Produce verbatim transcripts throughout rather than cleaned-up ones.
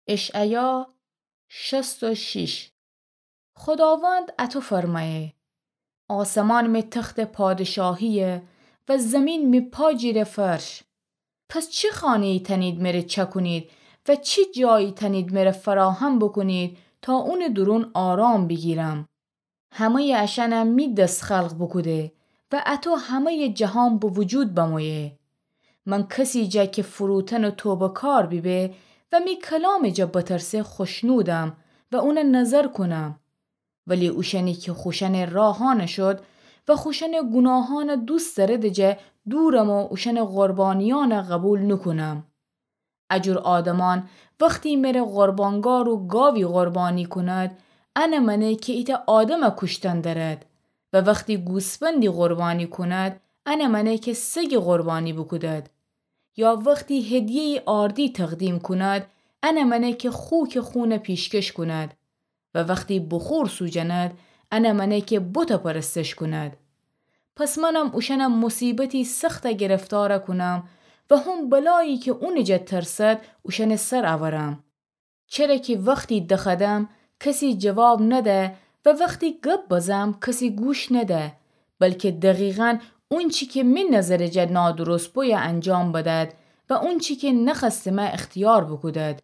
اشعیا شصت و شش. خوداوند اطو فرمأیه: آسمان می تخت پادشاهیه و زمین می پا جیره فرش. پس چی خانه‌یی تأنید مره چأکونید و چی جایی تأنید مره فراهم بوکونید تا اونٚ دورون آرام بیگیرم؟ همه‌یٚ اشأنه می دس خلق بوکوده و اطو همه‌یٚ جهان به وجود بمویه. من کسی جا که فروتن و توبه‌کار بیبه و می کلامٚ جا بترسه خوشنودم و اونه نظر کونم. ولی اوشأنی که خوشأنٚ راهأنه شد و خوشأنٚ گوناهأنه دوست دأرده جا دورم و اوشأنٚ قربانیأنه قوبیل نوکونم. اجور آدمأن وختی مره قربانگار و گاوی قربانی کوند، انه مأنه که ایتأ آدمه کوشتن دأرد و وختی گوسفندی قربانی کوند، انه مأنه که سگی قربانی بوکودد. یا وختی هدیه‌یی آردی تقدیم کوند، انه مأنه که خوکٚ خونه پیشکش کوند. و وختی بخور سوجند، انه مأنه که بته پرستش کوند. پس منم اوشأنه موصیبتی سخته گرفتار کونم و هم بلایی که اونٚ جا ترسد اوشأنٚ سر اورم. چره که وختی دخدم کسی جواب نده و وختی گب بزم کسی گوش نده، بلکه دقیقاً اونچی که می نظرٚ جا نادرست بویه انجام بدد و اونچی که نخوأستمه اختیار بوکودد.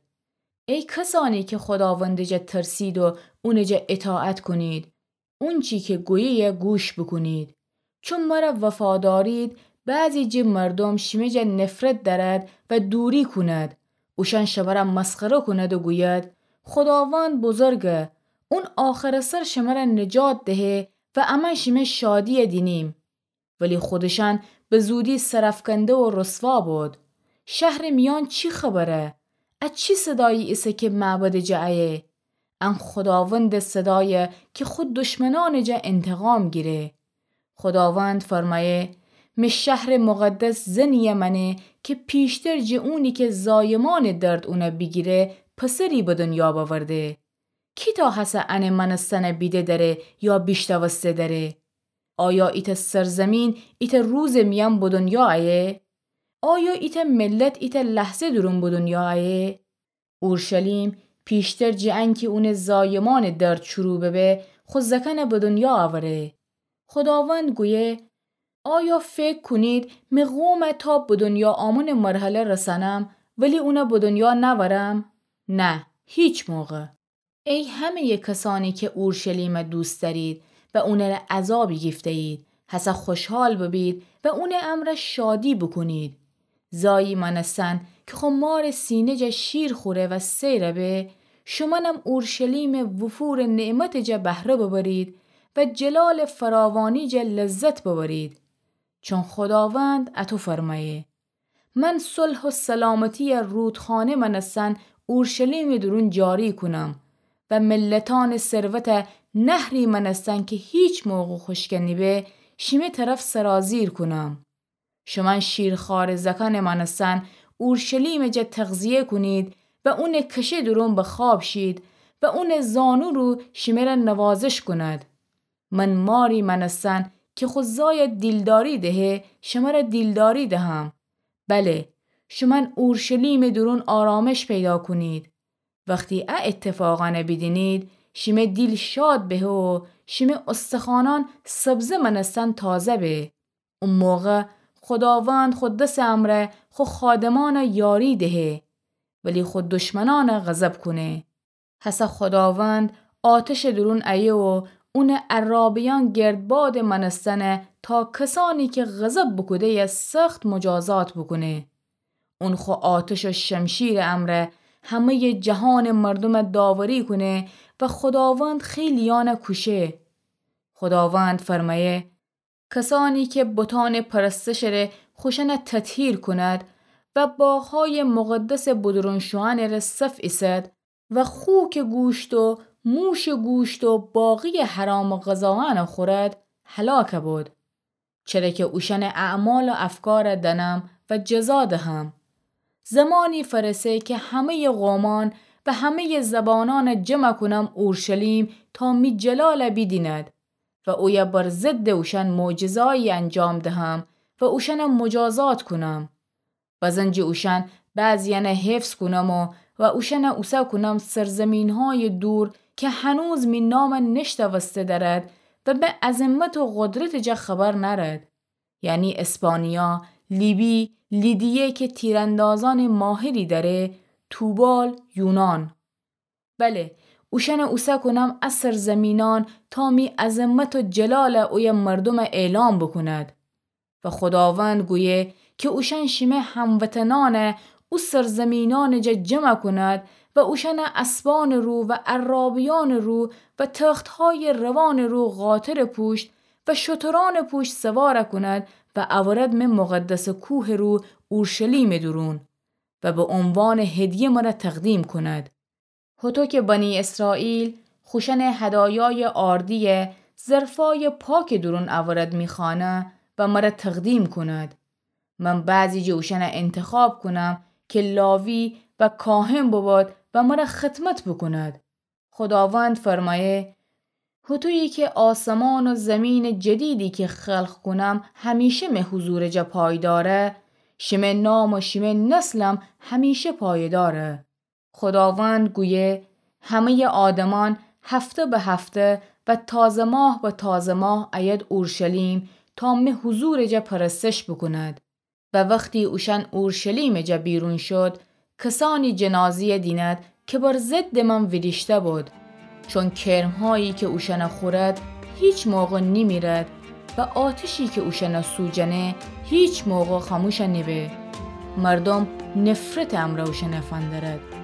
ای کسأنی که خوداوندٚ جا ترسید و اونٚ جا اطاعت کونید، اونچی که گویه‌یه گوش بوکونید. چون مره وفا دأرید، بعضی جٚه مردوم شیمه جا نفرت دأرد و دوری کوند. اوشأن شمره مسخره کوند و گوید: خوداوند بزرگه، اون آخرٚ سر شمره نجات دهه و امأن شیمه شادییه دینیم. ولی خودشأن به زودی سرأفکنده و رسوا بود. شهرٚ میأن چی خبره؟ ا چی صدایی ایسه که معبدٚ جا ایه؟ ان خوداوندٚ صدایه که خو دشمنأنٚ جا انتقام گیره. خوداوند فرمأیه: می شهرٚ مقدس زنیی مأنه که پیشتر جٚه اونی که زایمأنٚ درد اونه بیگیره، پسری به دنیا بأورده. کی تا هسه انٚ مأنستنه بیده دأره یا بیشنوسته دأره؟ آیا ایتأ سرزمین ایتأ روزٚ میأن به دنیا ایه؟ آیا ایتأ ملت ایتأ لحظه دورون به دنیا ایه؟ اورشلیم پیشتر جٚه انکی اونٚ زایمأنٚ درد شروع ببه، خو زأکنه به دنیا اوره. خوداوند گویه: آیا فکر کونید می قومه تا به دنیا آمونٚ مرحله رسأنم، ولی اونه به دنیا نأورم؟ نه، هیچ موقع. ای همه‌یٚ کسأنی که اورشلیمه دوست دأرید و اونٚره عزا بیگیفته‌یید، هسه خوشحال ببید و اونٚ امرأ شادی بوکونید. زایی مأنستن که خو مارٚ سینه جا شیر خوره و سیر به، شومأنم اورشلیمٚ وفورٚ نعمتٚ جا بهره ببرید و جلالٚ فراوانی جا لذت ببرید. چون خوداوند اطو فرمأیه: من صلح و سلامتیی رودخانه مأنستن اورشلیمٚ دورون جاری کونم و ملتأنٚ ثروته نهری مأنستن که هیچ موقع خوشکه نیبه، شیمه طرف سرازیر کونم. شومأن شیرخوارٚ زأکأنٚ مأنستن اورشلیمٚ جا تغذیه کونید و اونٚ کشه دورون به خواب شید و اونٚ زانو رو شیمره نوازش کوند. من ماری مأنستن که خو زای دیلداری دهه، شمره دیلداری دهم. بله، شومأن اورشلیمٚ دورون آرامش پیدا کونید. وختی ا اتفاقأنه بیدینید، شیمه دیل شاد بهه و شیمه استخوانأن سبزه مأنستن تازه به. او موقع خوداوند خو دسٚ امرأ خو خادمأنه یاری دهه، ولی خو دشمنأنه غضب کونه. هسه خوداوند آتشٚ دورون ایه و اونٚ عرابه‌یأن گردبادٚ مأنستنه تا کسأنی که غضب بوکوده‌یه سخت مجازات بوکونه. اون خو آتش و شمشیرٚ امرأ همه‌یٚ جهانٚ مردومه داوری کونه و خوداوند خیلیأنه کوشه. خوداوند فرمأیه: کسأنی که بتأنٚ پرستشٚ ره خوشأنه تطهیر کوند و باغهایٚ مقدسٚ بدرون شوئنٚ ره صف ایسد و خوکٚ گوشت و موشٚ گوشت و باقییٚ حرامٚ غذایأنه خورد، هلاک بود. چره که اوشأنٚ اعمال و افکاره دأنم و جزا دهم. زمانی فأرسه که همه‌یٚ قومأن و همه‌یٚ زبانأنه جمع کونم اورشلیم تا می جلاله بیدیند و اویه بر ضدٚ اوشأن معجزه‌یی انجام دهم و اوشأنه مجازات کونم. بزن جٚه اوشأن بعضییأنه حفظ کونم و و اوشأنَ اوسه کونم سرزمین‌هایٚ دور کی هنوز می نامَ نشتأوسته دأرد و به عظمت و قدرتٚ جا خبر نأرد، یعنی اسپانیا، لیبی، لیدیه کی تیراندازأنٚ ماهری دأره، توبال، یونان. بله، اوشأنَ اوسه کونم ا سرزمینأن تا می عظمت و جلالَ اویه مردومَ اعلام بوکوند. و خوداوند گویه کی اوشأن شیمه هموطنأنَ او سرزمینأنٚ جا جمع کوند و اوشأنَ اسبأنٚ رو و عرابیأنٚ رو و تخت‌هایٚ روانٚ رو قاطرٚ پوشت و شترأنٚ پوشت سوار کوند و اورد می مقدسٚ کوهٚ رو اورشلیمٚ دورون و به عنوانٚ هدیه مرَ تقدیم کوند. هوطو کی بنی اسرائیل خوشأنٚ هدایایٚ آردی‌یَ ظرفأیٚ پاکٚ دورون اورد می خانه و مرَ تقدیم کوند. من بعضی جٚه اوشأنَ انتخاب کونم کی لاوی و کاهن بوبود و مرَ خدمت بوکوند. خوداوند فرمأیه: هوطویی کی آسمان و زیمینٚ جدیدی کی خلق کونم همیشه می حضورٚ جا پایداره، شیمه نام و شیمه نسلم همیشه پایداره. خوداوند گویه: همه‌یٚ آدمأن هفته به هفته و تازه ماه به تازه ماه ایید اورشلیم تا می حضورٚ جا پرستش بوکوند. و وختی اوشأن اورشلیمٚ جا بیرون شود، کسأنی جنازه‌یَ دینید کی بر ضدٚ من ویریشته بود. چون کرم‌هایی کی اوشأنَ خورد هیچ موقع نیمیرد و آتشی کی اوشأنَ سوجنه هیچ موقع خاموش نیبه. مردوم نفرتٚ امرأ اوشأنَ فندرد.